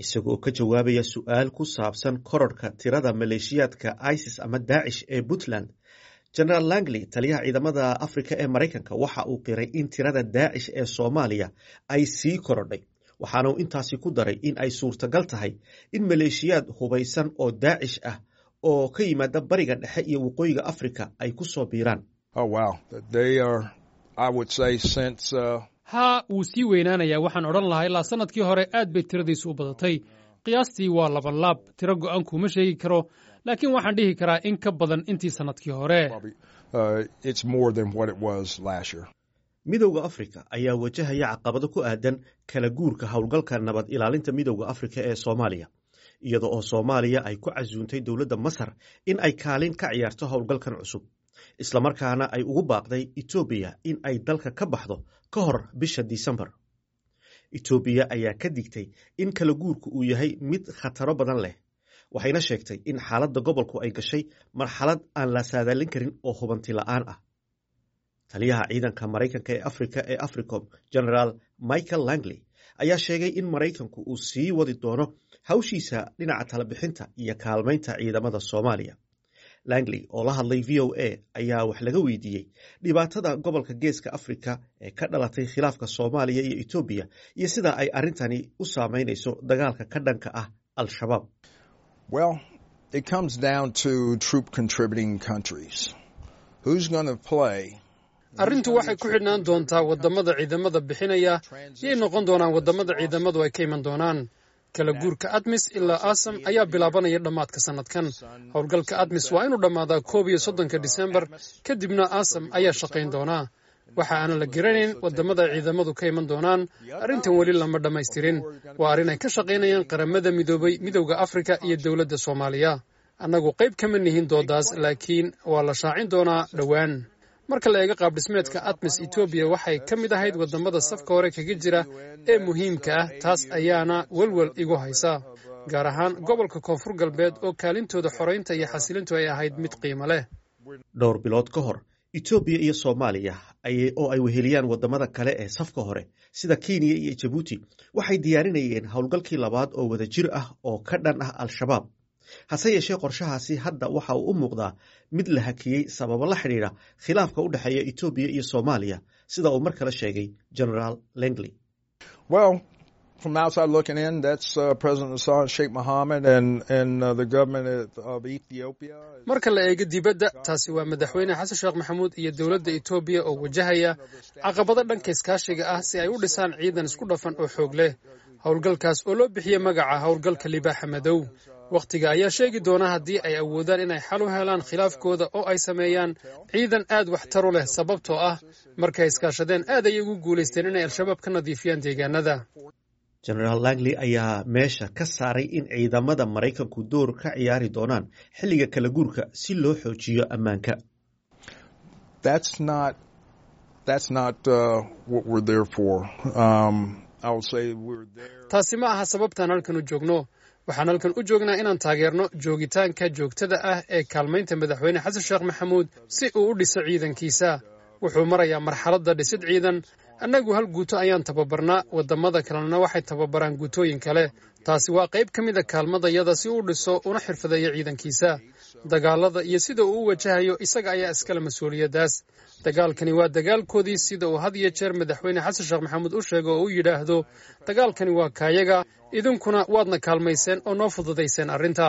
Isagoo ka jawaabaya su'aal ku saabsan kororka tirada maleeshiyaadka ISIS ama Daacish ee Puntland, Genaraal Langley, taliyaha ciidamada Afrika ee Maraykanka, waxa uu qiray in tirada Daacish ee Soomaaliya ay sii korodhay, waxaana uu intaasi ku daray in ay suurtagal tahay in maleeshiyaad hubaysan oo Daacish ah oo ka yimaada Bariga Dhexe iyo Waqooyiga Afrika ay ku soo biiraan. Haa, wuu sii weynaanayaa. Waxaan odhan lahaa ilaa sannadkii hore aad bay tiradiisu u badatay. Qiyaastii waa labanlaab. Tiro go'an kuuma sheegi karo, laakiin waxaan dhihi karaa in ka badan intii sannadkii hore. Midowda Afrika ayaa wajahaya caqabado ku aadan kala guurka howlgalka nabad ilaalinta Midowda Afrika ee Soomaaliya, iyada oo Soomaaliya ay ku casuuntay dowladda Masar in ay kaalin ka ciyaarto howlgalkan cusub, islamarkaana ay ugu baaqday Itoobiya in ay dalka ka baxdo ka hor bisha Disembar. Itoobiya ayaa ka digtay in kala guurku uu yahay mid khataro badan leh, waxayna sheegtay in xaaladda gobolku ay gashay marxalad aan la saadaalin karin oo hubanti la'aan ah. Taliyaha ciidanka Maraykanka ee Afrika ee AFRICOM, Genaraal Michael Langley, ayaa sheegay in Maraykanku uu sii wadi doono hawshiisa dhinaca talabixinta iyo kaalmaynta ciidamada Soomaaliya. Langley oo la hadlay VOA ayaa wax laga weydiiyey dhibaatada gobolka Geeska Afrika ee ka dhalatay khilaafka Soomaaliya iyo Itoobiya iyo sida ay arrintani u saameynayso dagaalka ka dhanka ah Al-Shabaab. Arrintu waxay ku xidhnaan doontaa waddamada ciidamada bixinaya. Yay noqon doonaan waddamada ciidamadu ay ka iman doonaan? Kala guurka ADMIS ilaa ASAM ayaa bilaabanaya dhammaadka sannadkan. Howlgalka ADMIS waa inuu dhammaadaa 31-ka Disembar, kadibna ASAM ayaa shaqayn doonaa. Waxa aanan la garanayn waddamada ay ciidamadu ka iman doonaan. Arrintan weli lama dhammaystirin. Waa arrin ay ka shaqaynayaan Qaramada Midoobay, Midowda Afrika iyo dowladda Soomaaliya. Annagu qayb kama nihin doodaas, laakiin waa la shaacin doonaa dhowaan. Marka la eego qaabdhismeedka ATMIS, Etoobiya waxay ka mid ahayd waddamada safka hore kaga jira ee muhiimka ah. Taas ayaana welwel igu haysa, gaar ahaan gobolka Koonfur Galbeed oo kaalintooda xoraynta iyo xasilintu ay ahayd mid qiimo leh. Dhowr bilood ka hor, Itoobiya iyo Soomaaliya oo ay weheliyaan waddamada kale ee safka hore sida Kenya iyo Jabuuti waxay diyaarinayeen howlgalkii labaad oo wadajir ah oo ka dhan ah Al-Shabaab. Hase yeeshee, qorshahaasi hadda waxa uu u muuqdaa mid la hakiyey sababo la xidhiidha khilaafka u dhexeeya Itoobiya iyo Soomaaliya, sida uu mar kale sheegay Genaraal Langley. Marka la eego dibadda, taasi waa Madaxweyne Xasan Sheekh Maxamuud iyo dowladda Etoobiya oo wajahaya caqabado dhanka iskaashiga ah si ay u dhisaan ciidan isku dhafan oo xoog leh, howlgalkaas oo loo bixiyey magaca howlgalka Libaaxa Madow. Wakhtiga ayaa sheegi doona haddii ay awoodaan inay xal u helaan khilaafkooda oo ay sameeyaan ciidan aad waxtar u leh, sababtoo ah markay iskaashadeen aad ayay ugu guulaysteen inay Al-Shabaab ka nadiifiyaan deegaanada. Genaraal Langley ayaa meesha ka saaray in ciidamada Maraykanku door ka ciyaari doonaan xilliga kala guurka si loo xoojiyo ammaanka. Taasi ma aha sababtaan halkan u joogno. Waxaan halkan u joognaa inaan taageerno joogitaanka joogtada ah ee kaalmaynta Madaxweyne Xasan Sheekh Maxamuud si uu u dhiso ciidankiisa. Wuxuu marayaa marxaladda dhisid ciidan. Annagu hal guuto ayaan tababarnaa, waddamada kalena waxay tababaraan guutooyin kale. Taasi waa qayb ka mida kaalmadayada si uu dhiso una xirfadeeyo ciidankiisa. Dagaalada iyo sida uu u wajahayo isaga ayaa iskale mas-uuliyaddaas. Dagaalkani waa dagaalkoodii, sida uu had iyo jeer Madaxweyne Xasan Sheekh Maxamuud u sheego oo u yidhaahdo: dagaalkani waa kaayaga, idinkuna waadna kaalmayseen oo noo fududayseen arrinta.